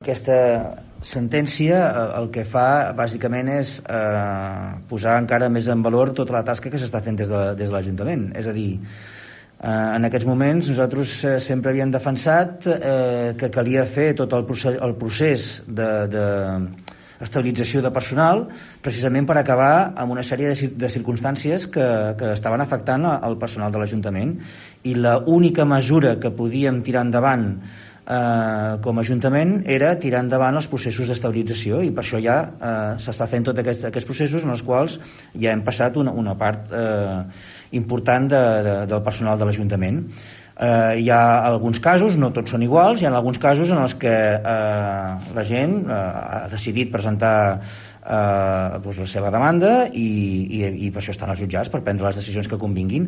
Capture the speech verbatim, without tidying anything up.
Aquesta sentència el que fa bàsicament és eh, posar encara més en valor tota la tasca que s'està fent des de, des de l'Ajuntament. És a dir, eh, en aquests moments nosaltres eh, sempre havíem defensat eh, que calia fer tot el procés, el procés de, de estabilització de personal precisament per acabar amb una sèrie de, de circumstàncies que, que estaven afectant el personal de l'Ajuntament, i l'única mesura que podíem tirar endavant Eh, com a Ajuntament era tirar endavant els processos d'estabilització, i per això ja eh, s'està fent tots aquests, aquests processos en els quals ja hem passat una, una part eh, important de, de, del personal de l'Ajuntament. Eh, hi ha alguns casos, no tots són iguals, hi ha alguns casos en els que eh, la gent eh, ha decidit presentar eh, doncs la seva demanda i, i, i per això estan als jutjats, per prendre les decisions que convinguin.